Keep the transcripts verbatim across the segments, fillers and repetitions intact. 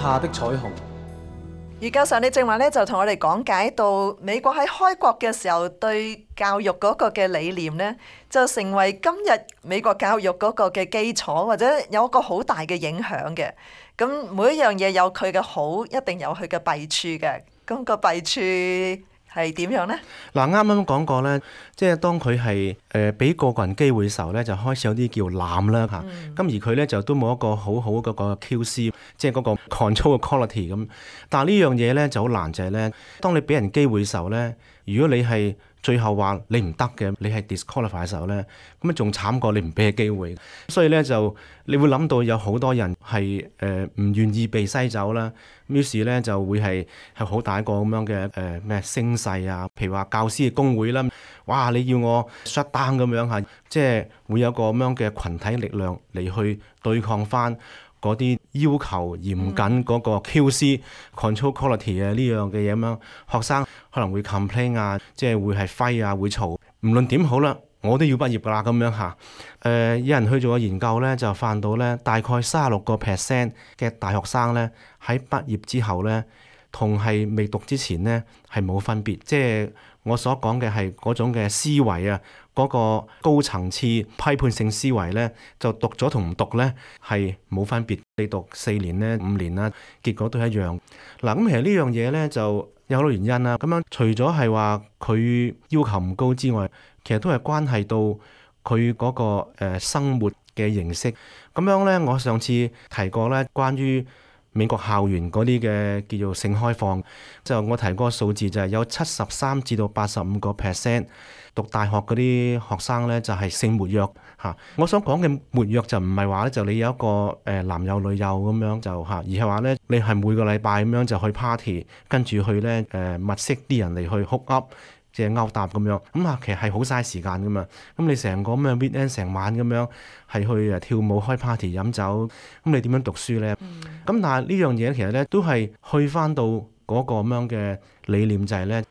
下的彩虹。余教授，你正話咧就同我哋講解到美國喺開國嘅時候對教育嗰個嘅理念呢，就成為今日美國教育嗰個嘅基礎，或者有一個好大嘅影響嘅。咁每一樣嘢有佢嘅好，一定有佢嘅弊處嘅。咁個弊處係點樣呢？嗱，啱啱講過咧，即係當佢係誒俾個個人機會嘅時候咧，就開始有啲叫濫啦嚇。咁、嗯、而佢咧就都冇一個好好嗰個 Q C， 即係嗰個 control 嘅 quality 咁。但係呢樣嘢咧就好難，就係咧，當你俾人機會嘅時候咧，如果你係最後話你唔得嘅，你係 disqualify 嘅時候咧，咁啊仲慘過你唔俾佢機會。所以咧就你會諗到有好多人係誒唔願意被篩走啦。於是咧就會係係好大一個咁樣嘅誒咩聲勢啊，譬如話教師嘅工會啦，哇！你要我 shut down 咁樣嚇，即係會有個咁樣嘅群體力量嚟去對抗翻嗰啲要求嚴謹嗰個 Q C、嗯、control quality 啊呢樣嘅嘢咁樣，學生可能會 complain 啊，即係會係揮啊，會嘈，無論點好啦，我都要畢業㗎啦咁樣嚇。誒、呃，有人去做個研究咧，就發現到咧，大概三十六個 percent 嘅大學生咧喺畢業之後咧，同係未讀之前咧係冇分別，即係我所講嘅係嗰種嘅思維啊，嗰、那個高層次批判性思維咧，就讀咗同唔讀咧係冇分別。你讀四年咧、五年啦，結果都一樣。嗱，咁其實呢樣嘢咧就有好多原因啦。咁樣除咗係話佢要求唔高之外，其實都係關係到佢嗰個誒生活嘅形式。咁樣咧，我上次提過咧，關於美國校園嗰啲嘅叫做性開放，就我提過個數字就係有七十三至到八十五個 percent 讀大學嗰啲學生咧就係性活躍嚇。我想講嘅活躍就唔係話咧就你有一個誒男友女友咁樣就嚇，而係話咧你係每個禮拜咁樣就去 party， 跟住去咧誒物色啲人嚟去 hook up，即係勾搭咁樣，咁啊其實係好嘥時間噶嘛。咁你成個咁嘅 weekend 成晚咁樣係去誒跳舞、開 party、飲酒，咁你點樣讀書咧？咁、嗯、但係呢樣嘢其實咧都係去翻到嗰個咁樣嘅理念，就係咧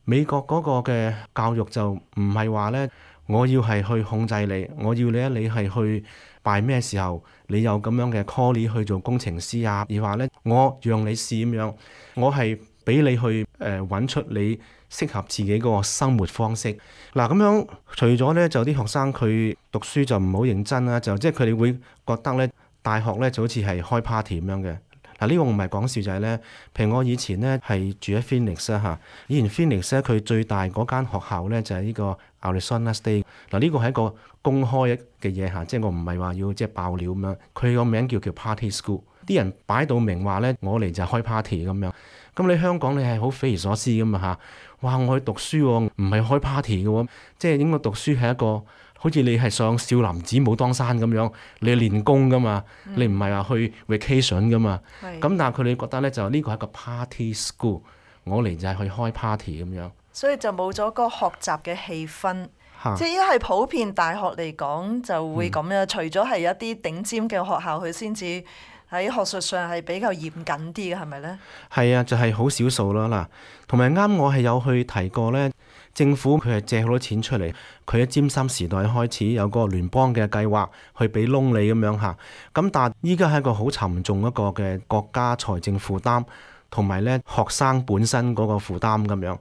美國嗰個嘅教育就唔係話咧我要係去控制你，我要你咧你係去拜咩時候你有咁樣嘅 callie 去做工程師啊，而話咧我讓你試咁樣，我係俾你去誒揾、呃、出你適合自己嗰個生活方式。嗱，咁樣除咗咧就啲學生佢讀書就唔好認真啦，就即係佢哋會覺得咧大學咧就好似係開 party 咁樣嘅。嗱，呢個唔係講笑，就係咧，譬如我以前咧係住喺 Phoenix 啦嚇，以前 Phoenix 咧佢最大嗰間學校咧就係呢個 Arizona State。嗱，呢個係一個公開嘅嘢嚇，即係我唔係話要即係爆料咁樣。佢個名叫叫 Party School，啲人擺到明話咧，我嚟就係開 party 咁樣。咁你香港你係好匪夷所思咁嘛嚇？哇！我去讀書喎，唔係開 party 嘅喎，即係應該讀書係一個好似你係上少林寺武當山咁樣，你練功噶嘛，嗯、你唔係話去 vacation 噶嘛。咁是但係佢哋覺得咧就呢個係一個 party school， 我嚟就係去開 party 咁樣。所以就冇咗個學習嘅氣氛，哈即係一係普遍大學嚟講就會咁樣，嗯、除咗係一啲頂尖嘅學校佢先至。喺學術上係比較嚴謹啲嘅，係咪呢？係啊，就係好少數咯嗱。同埋啱我係有去提過呢，政府佢係借好多錢出嚟，佢喺尖心時代開始有個聯邦嘅計劃去俾窿你咁樣嚇。咁但係依家係一個好沉重一個嘅國家財政負擔，同埋呢學生本身嗰個負擔咁樣。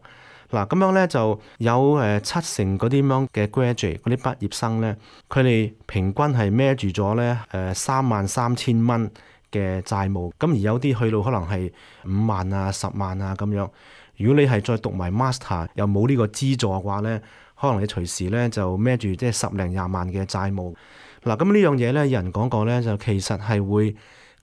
嗱，咁樣呢就有誒七成嗰啲咁樣嘅 graduate 嗰啲畢業生呢，佢哋平均係孭住咗呢誒三萬三千蚊嘅債務，咁而有啲去到可能係五萬啊、十萬啊咁樣。如果你係再讀埋 master 又冇呢個資助嘅話咧，可能你隨時咧就孭住即係十零廿萬嘅債務。嗱，咁呢樣嘢咧，有人講過咧，就其實係會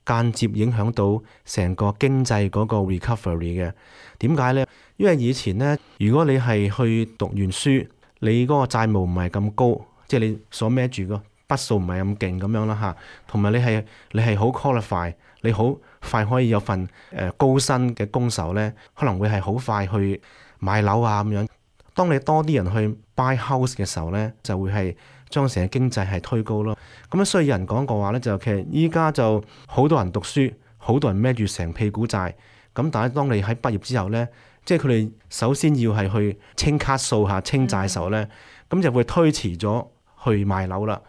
間接影響到成個經濟嗰個 recovery 嘅。點解咧？因為以前咧，如果你係去讀完書，你嗰個債務唔係咁高，即係你所孭住個筆數唔係咁勁咁樣啦嚇，同埋你係你係好 qualify， 你好快可以有份誒高薪嘅工時咧，可能會係好快去買樓啊咁樣。當你多啲人去 buy house 嘅時候咧，就會係將成個經濟係推高咯。咁樣所以有人講過話咧，就其實依家就好多人讀書，好多人孭住成屁股債。咁但係當你喺畢業之後咧，即係佢哋首先要係去清卡數下清債嘅時候咧，咁、嗯、就會推遲咗去買樓啦。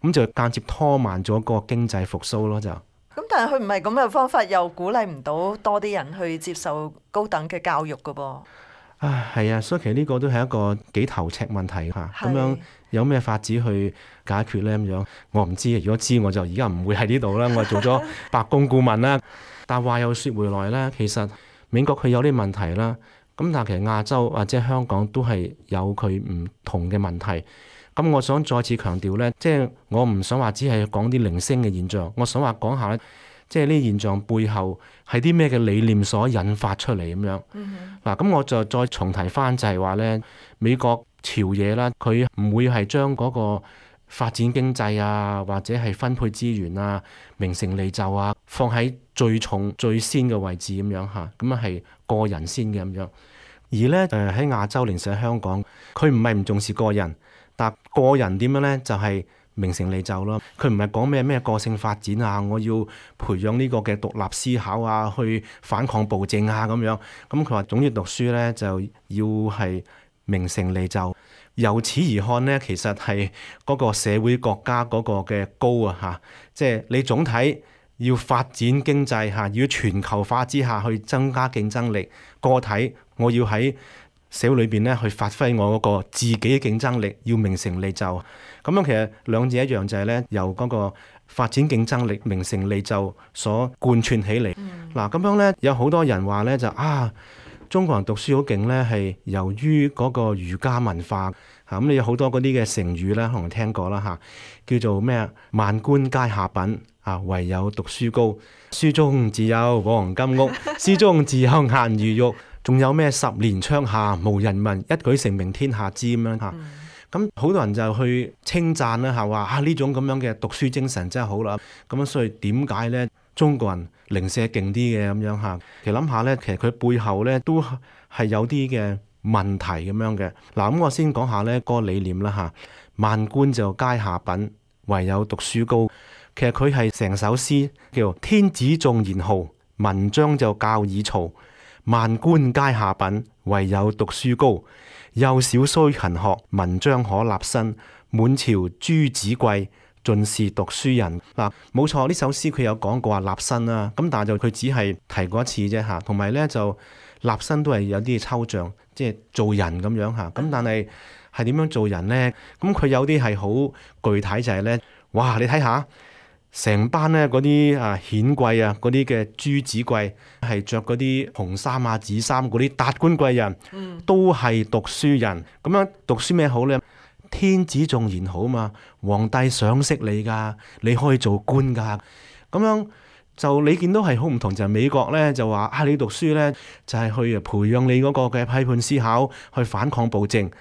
咁就間接拖慢咗個經濟復甦咯，就咁但係佢唔係咁嘅方法，又鼓勵唔到多啲人去接受高等嘅教育㗎噃。啊，係啊，所以其實呢個都係一個幾頭赤問題嚇。咁樣有咩法子去解決呢？咁樣我唔知，如果知我就而家唔會喺呢度啦。我做咗白宮顧問啦。但話又説回來啦，其實美國佢有啲問題啦。咁但係其實亞洲或者香港都係有佢唔同嘅問題。咁我想再次強調呢，即係我唔想話只係講啲零星嘅現象，我想話講下咧。即係呢啲現象背後係啲咩嘅理念所引發出嚟咁樣。嗱、嗯，咁我就再重提翻就係話咧，美國朝野啦，佢唔會係將嗰個發展經濟啊，或者係分配資源啊、名成利就啊，放喺最重最先嘅位置咁樣嚇。咁啊係個人先嘅咁樣。而咧誒喺亞洲，零舍香港，佢唔係唔重視個人，但個人點樣咧就係、是。名成利就咯，佢唔係講咩咩個性發展啊，我要培養呢個嘅獨立思考啊，去反抗暴政啊咁樣。咁佢話總之讀書咧就要係名成利就，由此而看呢，其實係嗰個社會國家嗰個嘅高啊嚇，即係你總體要發展經濟嚇，要全球化之下去增加競爭力，個體我要喺社會裏邊咧去發揮我嗰個自己嘅競爭力，要名成利就。咁樣其實兩者一樣，就係咧由嗰個發展競爭力、名成利就所貫穿起嚟。嗱咁、嗯啊、樣咧有好多人話咧就啊，中國人讀書好勁咧，係由於嗰個儒家文化嚇。咁、啊、你有好多嗰啲嘅成語咧，可能聽過啦嚇、啊，叫做咩啊？萬官皆下品啊，唯有讀書高。書中自有黃金屋，書中自有顏如玉。仲有咩十年窗下無人問，一舉成名天下知咁樣嚇。咁好、嗯、多人就去稱讚啦嚇，話啊呢種咁樣嘅讀書精神真係好啦。咁樣所以點解咧中國人零舍勁啲嘅咁樣嚇？其實諗下咧，其實佢背後咧都係有啲嘅問題咁樣嘅。嗱咁我先講下咧嗰個理念啦嚇。萬官就皆下品，唯有讀書高。其實佢係成首詩叫天子重賢豪，文章就教以曹。萬官皆下品，唯有讀書高。幼小須勤學，文章可立身。滿朝諸子貴，盡是讀書人。嗱，冇錯，呢首詩佢有講過話立身啦。咁但係就佢只係提過一次啫嚇。同埋咧就立身都係有啲抽象，即係做人咁樣嚇。咁但係係點樣做人咧？咁佢有啲係好具體，就係咧，哇！你睇下。成班咧嗰啲啊顯貴啊，嗰啲嘅諸子貴係着嗰啲紅衫啊紫衫嗰啲達官貴人，嗯、都係讀書人。咁樣讀書咩好咧？天子重賢好嘛，皇帝賞識你㗎，你可以做官㗎。咁樣就你見到係好唔同，就係、是、美國咧就話啊，你讀書咧就係、是、去培養你嗰個嘅批判思考，去反抗暴政。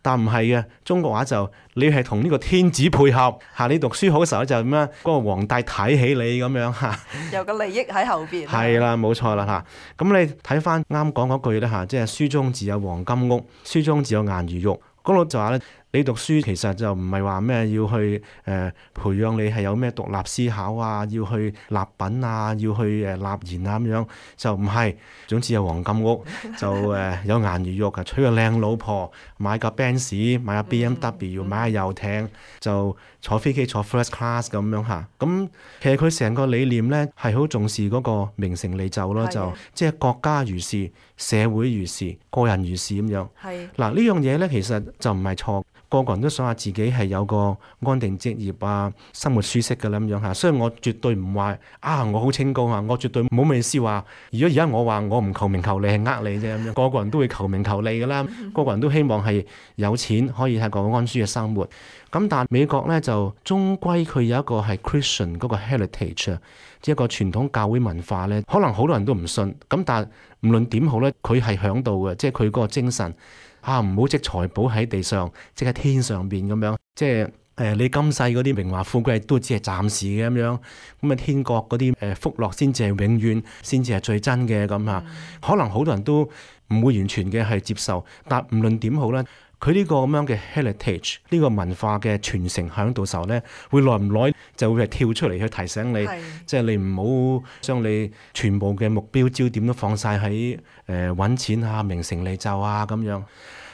但唔係嘅，中國話就你係同呢個天子配合嚇，你讀書好嘅時候就咁樣，嗰、那個皇帝睇起你咁樣嚇，有個利益喺後邊。係啦，冇錯啦嚇。咁你睇翻啱講嗰句咧嚇，即係書中自有黃金屋，書中自有顏如玉。嗰度就話咧，你讀書其實就唔係話咩要去誒、呃、培養你係有咩獨立思考啊，要去立品啊，要去誒立言啊咁樣，就唔係。總之有黃金屋，就誒、呃、有顏如玉啊，娶個靚老婆，買架 Benz， 買架 B M W，、嗯、買下遊艇，就坐飛機坐 first class 咁樣嚇。咁其實佢成個理念咧係好重視嗰個名成利就咯，的就即係國家如是，社會如是，個人如是咁樣。係嗱的呢樣嘢咧，其實就唔係錯。個個人都想話自己係有個安定職業啊，生活舒適嘅啦咁樣嚇，所以我絕對唔話啊，我好清高啊，我絕對冇咩意思話。如果而家我話我唔求名求利係呃你啫咁樣，個個人都會求名求利嘅啦，個個人都希望係有錢可以係個安舒嘅生活。咁但係美國咧就終歸佢有一個係 Christian 嗰個 heritage 啊，即係一個傳統教會文化咧，可能好多人都唔信。咁但係無論點好咧，佢係響度嘅，即係佢嗰個精神。啊！唔好積財寶喺地上，即喺天上邊咁樣。即係誒、呃，你今世嗰啲榮華富貴都只係暫時嘅咁樣。咁啊，天國嗰啲誒福樂先至係永遠，先至係最真嘅咁啊。嗯、可能好多人都唔會完全嘅係接受，但無論點好咧，佢呢個咁樣嘅 heritage 呢個文化嘅傳承喺度時候咧，會耐唔耐就會係跳出嚟去提醒你，即係是你唔好將你全部嘅目標焦點都放晒喺誒揾錢啊、名成利就啊咁樣。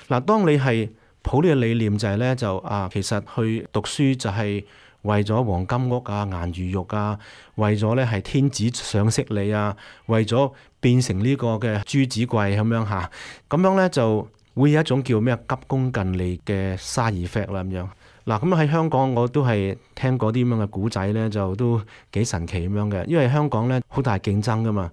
嗱，當你係抱呢個理念就係咧，就啊其實去讀書就係為咗黃金屋啊、顏如玉啊，為咗咧係天子賞識你啊，為咗變成呢個嘅朱子貴咁樣嚇，咁樣咧就會有一種叫咩急功近利嘅 side effect 啦咁樣。嗱，咁喺香港我都係聽過啲咁樣嘅古仔咧，就都幾神奇咁樣嘅，因為香港咧好大競爭噶嘛，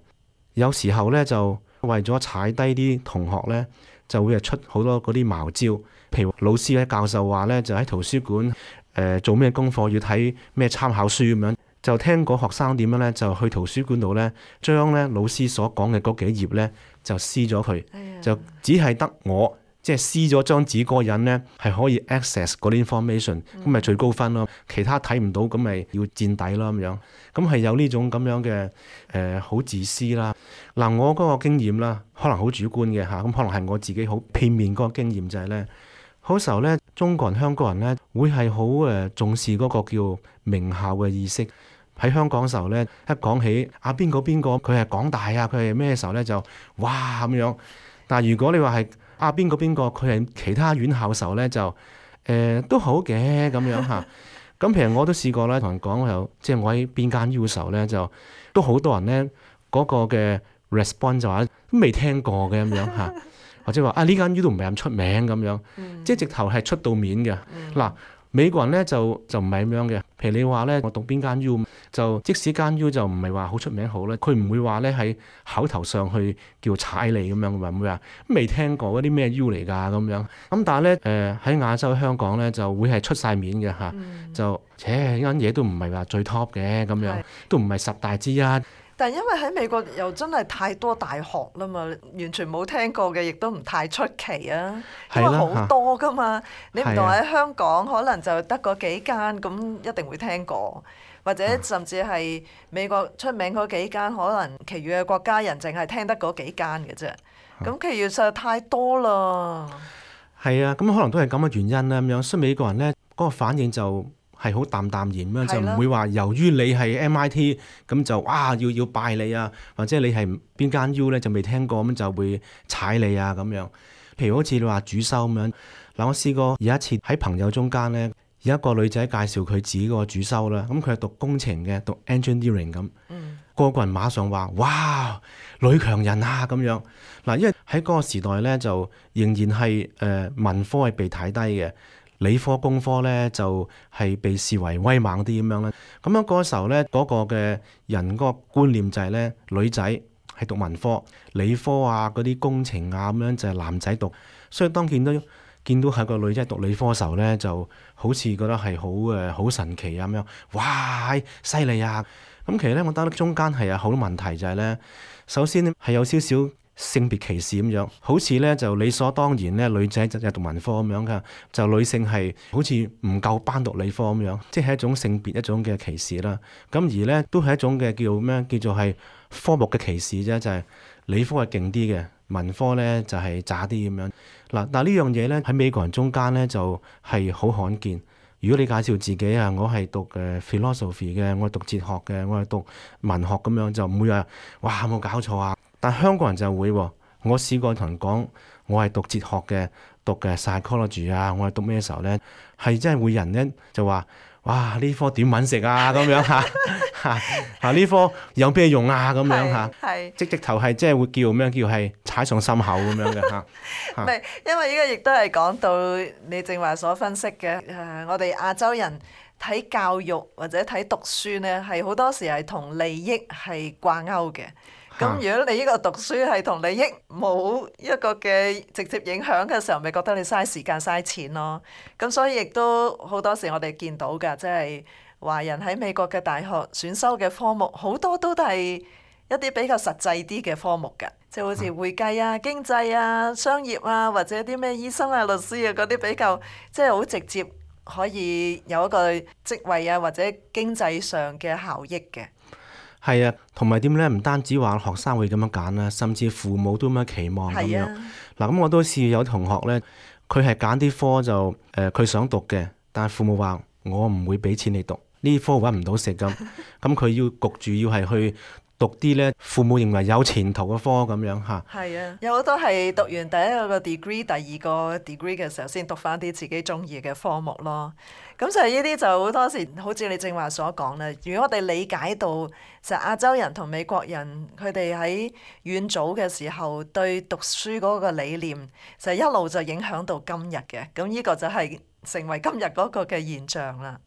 有時候咧就為咗踩低啲同學咧，就會係出好多嗰啲茅招，譬如老師咧、教授話咧，就喺圖書館誒、呃、做咩功課要睇咩參考書咁樣，就聽個學生點樣咧，就去圖書館度咧，將咧老師所講嘅嗰幾頁咧就撕咗佢，哎呀就只係得我。即係撕咗張紙嗰個人咧，係可以 access 嗰啲 information，咁咪最高分咯。其他睇唔到，咁咪要墊底咯咁樣。咁係有呢種咁樣嘅誒好自私啦。嗱，我嗰個經驗啦，可能好主觀嘅嚇，咁可能係我自己好片面嗰個經驗就係咧，好時候咧，中國人、香港人咧會係好誒重視嗰個叫名校嘅意識。喺香港嘅時候咧，一講起啊邊個邊個佢係港大啊，佢係咩時候咧就哇咁樣。但係如果你話係啊邊個邊個佢係其他院校嘅時候咧就誒、呃、都好嘅咁樣嚇。咁譬如我都試過咧同人講又即係我喺邊間 U 嘅時候咧就都好多人咧嗰、嗰個嘅 response 就話都未聽過嘅咁樣嚇，或者話啊呢間 U 都唔係咁出名咁樣，嗯、即係直頭係出到面嘅嗱。嗯美國人咧就就唔係咁樣嘅，譬如你話咧，我讀邊間 U，就即使間 U 就唔係話好出名好咧，佢唔會話咧喺口頭上去叫踩你咁樣，唔會話未聽過嗰啲咩 U 嚟㗎咁樣。咁但係咧誒喺亞洲香港咧就會係出晒面嘅嚇，嗯、就切呢間嘢都唔係話最 top 嘅咁樣，是都唔係十大之一。但係因為喺美國又真係太多大學啦嘛，完全冇聽過嘅，亦都唔太出奇啊。因為好多噶嘛，啊、你唔同喺香港，可能就得嗰幾間，咁一定會聽過，或者甚至係美國出名嗰幾間，可能其餘嘅國家人淨係聽得嗰幾間嘅啫。咁其餘實在太多啦。係啊，咁可能都係咁嘅原因啦。咁樣，所以美國人咧嗰個反應就係好淡淡然咁樣，就唔會話由於你係 M I T 咁就哇要要拜你啊，或者你係邊間 U 咧就未聽過咁就會踩你啊咁樣。譬如好似你話主修咁樣，嗱我試過有一次喺朋友中間咧，有一個女仔介紹佢自己個主修啦，咁佢係讀工程嘅，讀 engineering 咁，嗯、個個人馬上話哇女強人啊咁樣。嗱，因為喺嗰個時代咧就仍然係誒、呃、文科係被睇低嘅。理科工科咧就係、是、被視為威猛啲咁樣咧，咁樣嗰時候咧嗰、那個嘅人嗰個觀念就係咧女仔係讀文科，理科啊嗰啲工程啊咁樣就係男仔讀，所以當見到見到係個女仔讀理科嘅時候咧，就好似覺得係好誒好神奇啊咁樣，哇犀利啊！咁其實咧我覺得中間係有好多問題就係咧，首先咧係有少少性別歧視咁樣，好似咧就理所當然咧，女仔就係讀文科咁樣噶，就女性係好似唔夠班讀理科咁樣，即係一種性別一種嘅歧視啦。咁而咧都係一種嘅叫咩？叫做係科目嘅歧視啫，就係、是、理科係勁啲嘅，文科咧就係渣啲咁樣。嗱，但係呢樣嘢咧喺美國人中間咧就係、是、好罕見。如果你介紹自己啊，我係讀誒 philosophy 嘅，我係讀哲學嘅，我係讀文學咁樣，就唔會話哇冇搞錯啊！但香港人就會喎，我試過同人講，我係讀哲學嘅，讀嘅 psychology 啊，我係讀咩時候咧？係真係會人咧就話，哇呢科點揾食啊咁樣嚇嚇嚇呢科有咩用啊咁樣嚇？係即直頭係即係會叫咩？叫係踩上心口咁樣嘅嚇。唔係，因為呢個亦都係講到你正話所分析嘅誒，我哋亞洲人睇教育或者睇讀書咧，係好多時係同利益係掛鈎嘅。咁如果你呢個讀書係同利益冇一個嘅直接影響嘅時候，咪覺得你嘥時間嘥錢咯。咁所以亦都好多時我哋見到㗎，即係華人喺美國嘅大學選修嘅科目，好多都係一啲比較實際啲嘅科目㗎，即係好似會計啊、經濟啊、商業啊，或者啲咩醫生啊、律師啊嗰啲比較即係好直接可以有一個職位啊或者經濟上嘅效益嘅。係啊，同埋點咧？唔單止話學生會咁樣揀啦，甚至父母都咁樣期望咁樣。嗱、啊，咁我都試有同學咧，佢係揀啲科就誒，佢、呃、想讀嘅，但係父母話我唔會俾錢你讀呢科，揾唔到食咁。咁佢要焗住要係去讀啲咧父母認為有前途嘅科咁樣嚇。係啊，有好多係讀完第一個 degree、第二個 degree 嘅時候先讀翻啲自己中意嘅科目咯。咁就係呢啲就好多時，好似你正話所講啦。如果我哋理解到，其實亞洲人同美國人佢哋喺遠早嘅時候對讀書嗰個理念，就一路就影響到今日嘅。咁呢個就係成為今日嗰個嘅現象啦。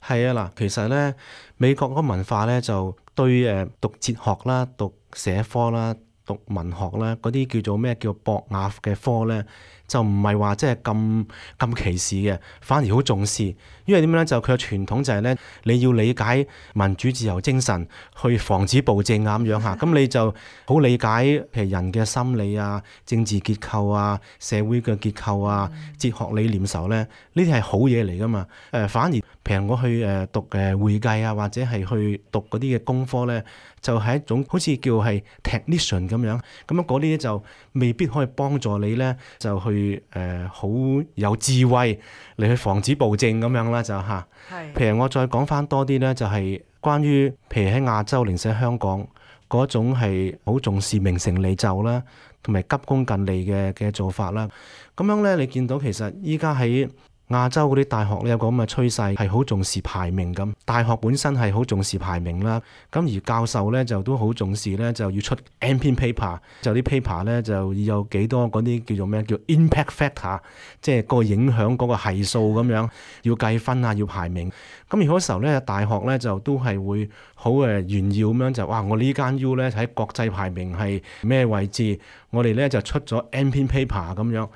係啊，嗱，其實咧美國嗰個文化咧就對誒讀哲學啦、讀社科啦、讀文學啦嗰啲叫做咩叫博雅嘅科咧，就唔係話即係咁咁歧視嘅，反而好重視。因為點樣咧？就佢嘅傳統就係咧，你要理解民主自由精神，去防止暴政啊咁樣嚇。咁你就好理解譬如人嘅心理啊、政治結構啊、社會嘅結構啊、哲學理念時候咧，呢啲係好嘢嚟噶嘛。誒，反而譬如我去誒讀誒會計啊，或者係去讀嗰啲嘅工科咧，就係一種好似叫係 technician 咁樣。咁樣嗰啲就未必可以幫助你咧，就去誒好、呃、有智慧嚟去防止暴政咁樣啦，就嚇。係。譬如我再講翻多啲咧，就係關於譬如喺亞洲，零舍香港嗰種係好重視名成利就啦，同埋急功近利嘅嘅做法啦。咁樣咧，你見到其實依家喺亞洲嗰啲大學咧有個咁嘅趨勢，係好重視排名咁。大學本身係好重視排名啦，咁而教授咧就都好重視咧，就要出 M P paper， 就啲 paper 咧就要有幾多嗰啲叫做咩叫 impact factor， 即係個影響嗰個係數咁樣，要計分啊，要排名。咁而嗰時候咧，大學咧就都係會好誒炫耀咁樣就哇！我呢間 U 咧喺國際排名係咩位置？我哋咧就出咗 M P paper 咁樣。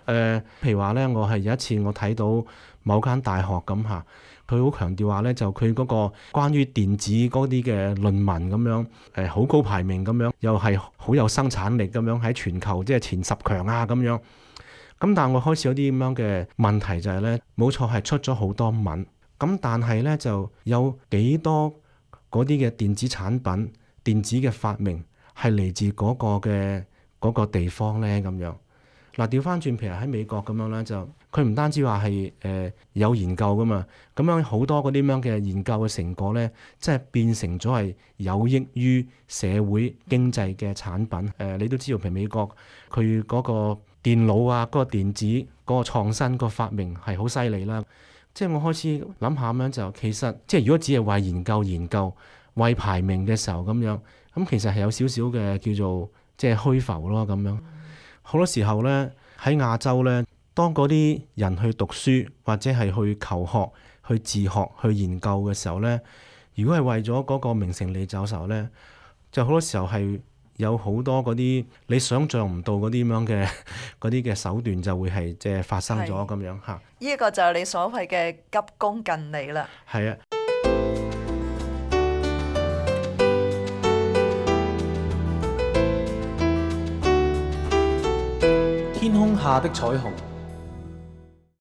誒、呃，譬如話咧，我係有一次我睇到某間大學咁嚇，佢好強調話咧，就佢嗰個關於電子嗰啲嘅論文咁樣，誒好高排名咁樣，又係好有生產力咁樣喺全球即係前十強啊咁樣。咁但係我開始有啲咁樣嘅問題就係咧，冇錯係出咗好多文，咁但係咧就有幾多嗰啲嘅電子產品、電子嘅發明係嚟自嗰個嘅嗰個地方咧咁樣。嗱，調翻轉，譬如喺美國咁樣咧，就佢唔單止話係誒有研究噶嘛，咁樣好多嗰啲咁樣嘅研究嘅成果咧，即係變成咗係有益於社會經濟嘅產品。誒、呃，你都知道，譬如美國佢嗰個電腦啊，嗰、嗰個電子嗰個創新、嗰個發明係好犀利啦。即係我開始諗下咁樣就，其實即係如果只係為研究研究、為排名嘅時候咁樣，咁其實係有少少嘅叫做即係虛浮咯咁樣。好多時候咧喺亞洲咧，當嗰啲人去讀書或者係去求學、去自學、去研究嘅時候咧，如果係為咗嗰個名成利就嘅時候咧，就好多時候係有好多嗰啲你想像唔到嗰啲咁樣嘅嗰啲嘅手段就會係即係發生咗咁樣嚇。呢個就係你所謂嘅急功近利啦。係啊。天空下的彩虹。